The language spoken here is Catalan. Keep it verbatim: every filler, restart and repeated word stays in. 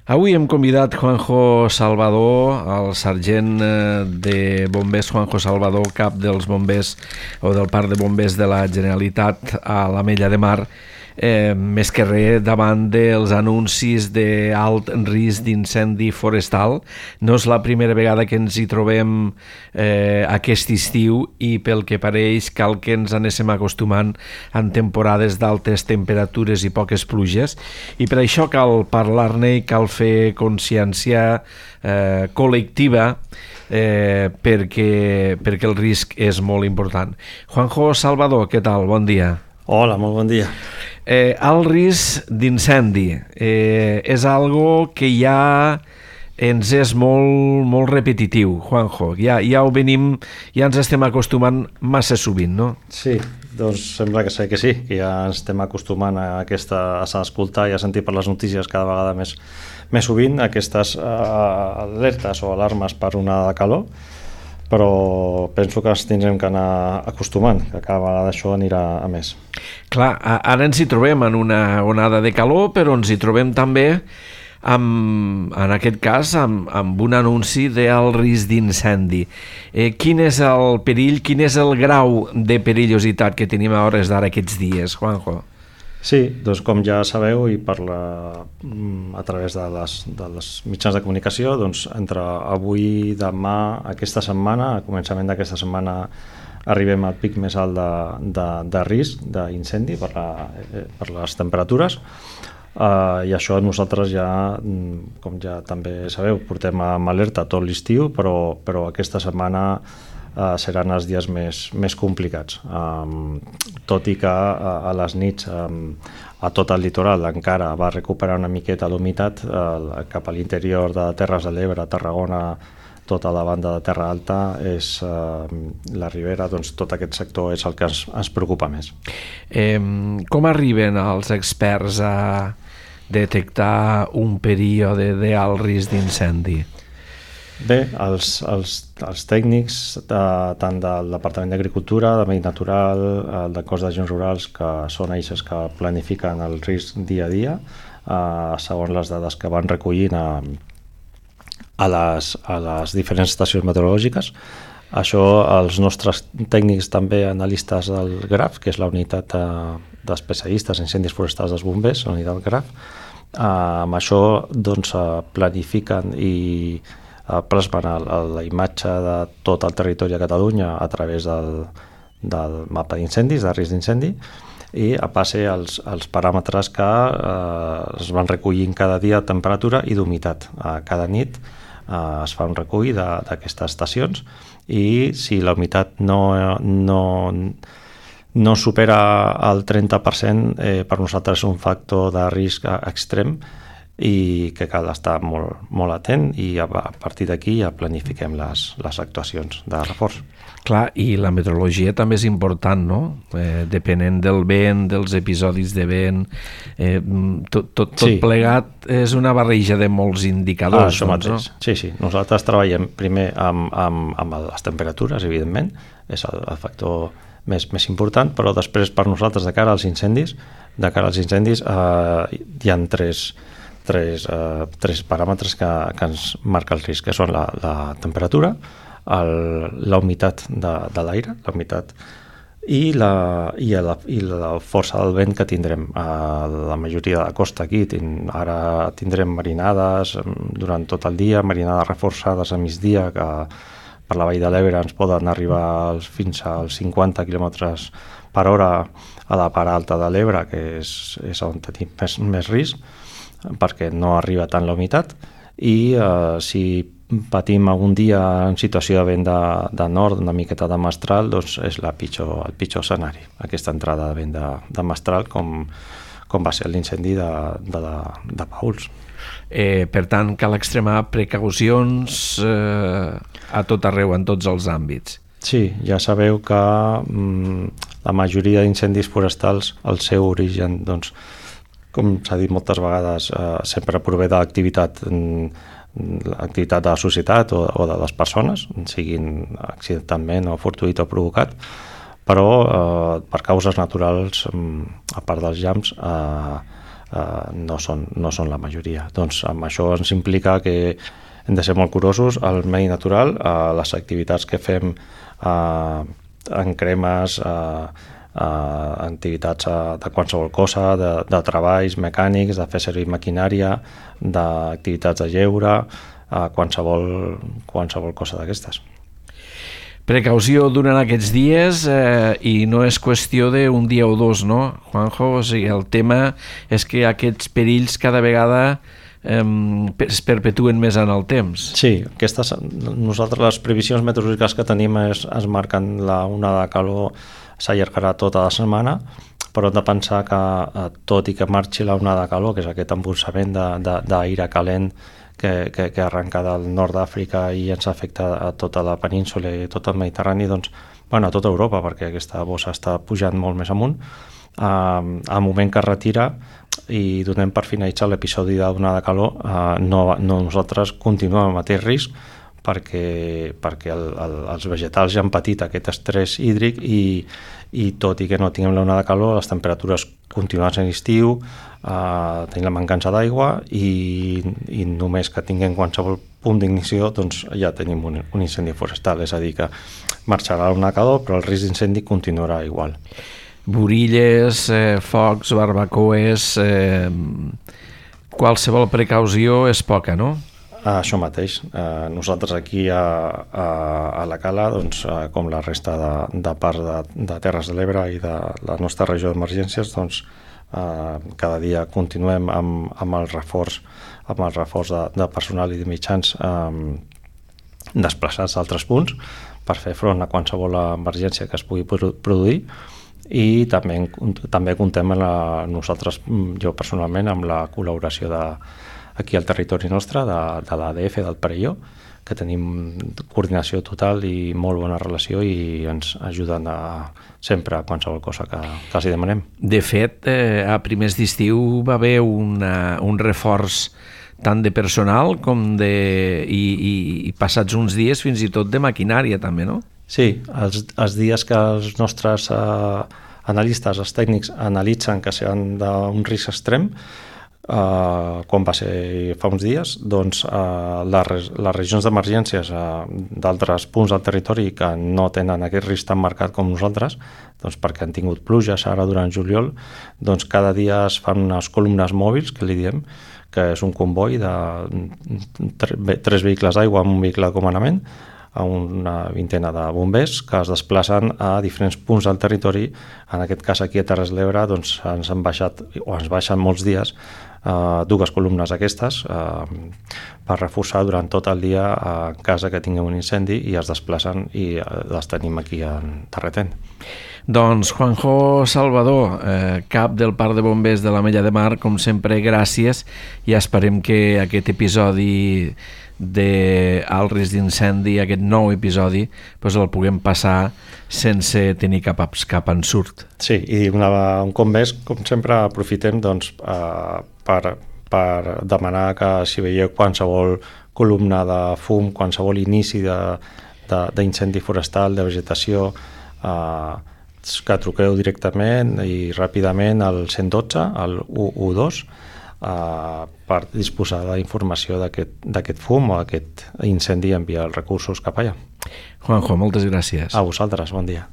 Avui hem convidat Juanjo Salvador, el sergent de bombers Juanjo Salvador, cap dels bombers o del parc de bombers de la Generalitat a l'Ametlla de Mar, eh, més que res davant dels anuncis d'alt risc d'incendi forestal. No és la primera vegada que ens hi trobem eh, aquest estiu i pel que pareix cal que ens anéssim acostumant en temporades d'altes temperatures i poques pluges, i per això cal parlar-ne i cal fer consciència eh, col·lectiva eh, perquè, perquè el risc és molt important. Juanjo Salvador, què tal? Bon dia. Hola, molt bon dia. Eh, el risc d'incendi eh, és algo que ja ens és molt, molt repetitiu, Juanjo. Ja, ja ho venim, ja ens estem acostumant massa sovint, no? Sí, doncs sembla que sé que sí, que ja ens estem acostumant a, aquesta, a escoltar i a sentir per les notícies cada vegada més, més sovint aquestes uh, alertes o alarmes per onada de calor, però penso que ens tindrem que anar acostumant, que cada vegada això anirà a més. Clar, ara ens hi trobem en una onada de calor, però ens hi trobem també, amb, en aquest cas, amb, amb un anunci d'alt risc d'incendi. Eh, quin és el perill, quin és el grau de perillositat que tenim a hores d'ara aquests dies, Juanjo? Sí, doncs com ja sabeu i per la, a través de les, de les mitjans de comunicació, doncs entre avui, demà, aquesta setmana, a començament d'aquesta setmana arribem al pic més alt de, de, de risc d'incendi per, la, per les temperatures. Uh, i això nosaltres ja, com ja també sabeu, portem amb alerta tot l'estiu, però, però aquesta setmana uh, seran els dies més, més complicats. Um, tot i que uh, a les nits um, a tot el litoral encara va recuperar una miqueta l'humitat uh, cap a l'interior de Terres de l'Ebre, Tarragona, tota la banda de Terra Alta, és uh, la Ribera, doncs tot aquest sector és el que ens, ens preocupa més. Eh, com arriben els experts a detectar un període d'alt risc d'incendi? Bé, els, els, els tècnics de, tant del Departament d'Agricultura, de Medi Natural, el del Cos d'Agents Rurals, que són ells que planifiquen el risc dia a dia, eh, segons les dades que van recollint a, a, les, a les diferents estacions meteorològiques. Això els nostres tècnics també analistes del GRAF, que és la unitat de, d'especialistes en incendis forestals dels bombers, la unitat GRAF, eh, amb això doncs, planifiquen i eh, plasmen la imatge de tot el territori de Catalunya a través del, del mapa d'incendis, de risc d'incendi, i a passe els, els paràmetres que eh, es van recollint cada dia de temperatura i d'humitat. Eh, cada nit eh, es fa un recull d'aquestes estacions, i si la humitat no, no, no supera el trenta per cent, eh, per nosaltres és un factor de risc extrem i que cal estar molt, molt atent, i a, a partir d'aquí ja planifiquem les, les actuacions de reforç. Clar, i la meteorologia també és important, no? Eh, depenent del vent, dels episodis de vent, eh, tot, tot, tot sí. Plegat és una barreja de molts indicadors. Ah, això doncs, mateix, no? Sí, sí. Nosaltres treballem primer amb, amb, amb les temperatures, evidentment, és el, el factor més, més important, però després per nosaltres de cara als incendis, de cara als incendis eh, hi ha tres, tres, eh, tres paràmetres que, que ens marca el risc, que són la, la temperatura, el, la humitat de, de l'aire, la humitat, i la, i, la, i la força del vent que tindrem. A la majoria de la costa aquí tin, ara tindrem marinades durant tot el dia, marinades reforçades a migdia, que per la Vall de l'Ebre ens poden arribar als, fins als cinquanta quilòmetres per hora a la part alta de l'Ebre, que és, és on tenim més, més risc, perquè no arriba tant la humitat, i eh, si patim algun dia en situació de vent de, de nord, una miqueta de mestral, doncs és la pitjor, el pitjor escenari, aquesta entrada de vent de, de mestral, com, com va ser l'incendi de, de, de, de Pauls. Eh, per tant, cal extremar precaucions eh, a tot arreu, en tots els àmbits. Sí, ja sabeu que mm, la majoria d'incendis forestals, el seu origen, doncs, com s'ha dit moltes vegades, eh, sempre prové de l'activitat l'activitat de la societat o, o de les persones, siguin accidentalment o fortuït o provocat, però eh, per causes naturals, a part dels llamps, eh, uh, no, són, no són la majoria. Doncs amb això ens implica que hem de ser molt curosos al medi natural, a les activitats que fem uh, en cremes, uh, uh, activitats uh, de qualsevol cosa, de, de treballs mecànics, de fer servir maquinària, d'activitats de lleure, uh, qualsevol, qualsevol cosa d'aquestes. Precaució durant aquests dies eh, i no és qüestió d'un dia o dos, no, Juanjo? O sigui, el tema és que aquests perills cada vegada eh, es perpetuen més en el temps. Sí, aquestes, nosaltres les previsions meteorològiques que tenim es, es marquen la onada de calor s'allargarà tota la setmana, però hem de pensar que tot i que marxi la onada de calor, que és aquest embolsament d'aire calent que, que, que arrenca del nord d'Àfrica i ens afecta a tota la península i tot el Mediterrani, doncs, bueno, a tota Europa, perquè aquesta bossa està pujant molt més amunt. Uh, al moment que es retira i donem per finalitzar l'episodi d'onada de calor, uh, no, no nosaltres continuem amb el mateix risc, perquè, perquè el, el, els vegetals ja han patit aquest estrès hídric i, i tot i que no tinguem l'onada de calor, les temperatures continuen sent estiu, eh, tenim la mancança d'aigua i, i només que tinguem qualsevol punt d'ignició, doncs ja tenim un, un incendi forestal, és a dir que marxarà l'onada de calor però el risc d'incendi continuarà igual. Burilles, eh, focs, barbacoes, eh, qualsevol precaució és poca, no? Això mateix. Eh, nosaltres aquí a, a, a la Cala, doncs, eh, com la resta de, de parts de, de Terres de l'Ebre i de la nostra regió d'emergències, doncs, eh, cada dia continuem amb, amb el reforç, amb el reforç de, de personal i de mitjans eh, desplaçats a altres punts per fer front a qualsevol emergència que es pugui produir. I també, també comptem amb la, nosaltres, jo personalment, amb la col·laboració de aquí al territori nostre, de, de l'A D F del Perelló, que tenim coordinació total i molt bona relació i ens ajuden a, sempre a qualsevol cosa que, que els hi demanem. De fet, eh, a primers d'estiu va haver una, un reforç tant de personal com de... I, i, i passats uns dies fins i tot de maquinària també, no? Sí, els, els dies que els nostres eh, analistes, els tècnics, analitzen que seran d'un risc extrem, Uh, com va ser fa uns dies, doncs uh, les, les regions d'emergències uh, d'altres punts del territori que no tenen aquest risc tan marcat com nosaltres, doncs perquè han tingut pluges ara durant juliol, doncs cada dia es fan unes columnes mòbils, que li diem, que és un comboi de tres vehicles d'aigua amb un vehicle de comandament, a una vintena de bombers que es desplacen a diferents punts del territori. En aquest cas aquí a Terres de l'Ebre doncs, ens han baixat, o ens baixen molts dies, eh, dues columnes aquestes eh, per reforçar durant tot el dia en cas que tinguem un incendi i es desplacen i les tenim aquí en Terretent. Doncs Juanjo Salvador, eh, cap del Parc de Bombers de l'Ametlla de Mar, com sempre, gràcies i esperem que aquest episodi d'alt risc d'incendi, aquest nou episodi, doncs el puguem passar sense tenir cap, cap ensurt. Sí, i una, un cop més, com sempre, aprofitem doncs, eh, per, per demanar que si veieu qualsevol columna de fum, qualsevol inici d'incendi forestal, de vegetació, eh, que truqueu directament i ràpidament al cent dotze, al u u dos, Uh, per disposar d'informació d'aquest fum o d'aquest incendi i enviar els recursos cap allà. Juanjo, moltes gràcies. A vosaltres, bon dia.